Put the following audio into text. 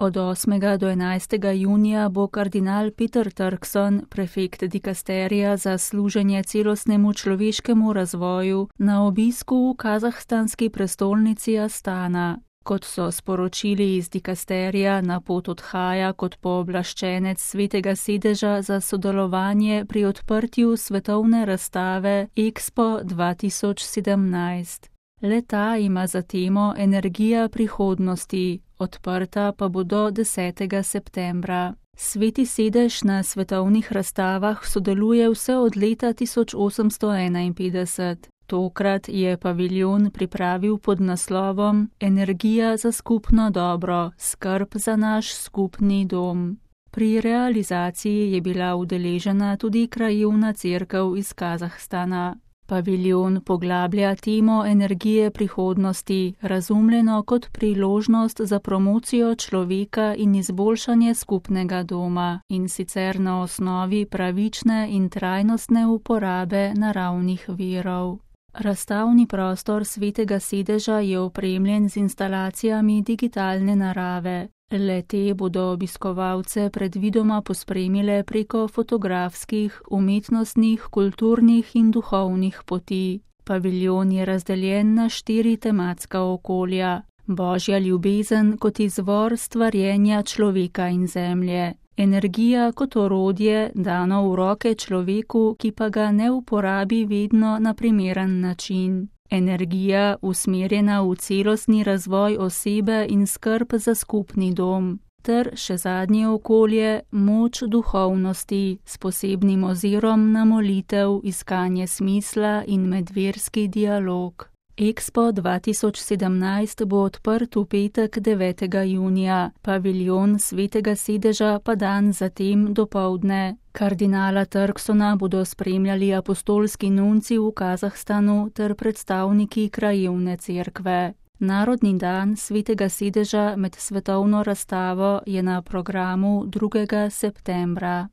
Od 8. do 11. junija bo kardinal Peter Turkson, prefekt dikasterija za služenje celostnemu človeškemu razvoju, na obisku v kazahstanski prestolnici Astana. Kot so sporočili iz dikasterija, na pot odhaja kot pooblaščenec Svetega sedeža za sodelovanje pri odprtju svetovne razstave Expo 2017. Le-ta ima za temo Energija prihodnosti, odprta pa bo do 10. septembra. Sveti sedež na svetovnih razstavah sodeluje vse od leta 1851. Tokrat je paviljon pripravil pod naslovom Energija za skupno dobro, skrb za naš skupni dom. Pri realizaciji je bila udeležena tudi krajevna cerkev iz Kazahstana. Paviljon poglablja temo energije prihodnosti, razumljeno kot priložnost za promocijo človeka in izboljšanje skupnega doma, in sicer na osnovi pravične in trajnostne uporabe naravnih virov. Razstavni prostor Svetega sedeža je opremljen z instalacijami digitalne narave. Le-te bodo obiskovalce predvidoma pospremile preko fotografskih, umetnostnih, kulturnih in duhovnih poti. Paviljon je razdeljen na 4 tematska okolja: Božja ljubezen kot izvor stvarjenja človeka in zemlje, energija kot orodje, dano v roke človeku, ki pa ga ne uporabi vedno na primeren način. Energija, usmerjena v celostni razvoj osebe in skrb za skupni dom. Ter še zadnje okolje, moč duhovnosti, s posebnim ozirom na molitev, iskanje smisla in medverski dialog. Expo 2017 bo odprt v petek 9. junija, paviljon Svetega sedeža pa dan zatem dopoldne. Kardinala Turksona bodo spremljali apostolski nunci v Kazahstanu ter predstavniki krajevne cerkve. Narodni dan Svetega sedeža med svetovno razstavo je na programu 2. septembra.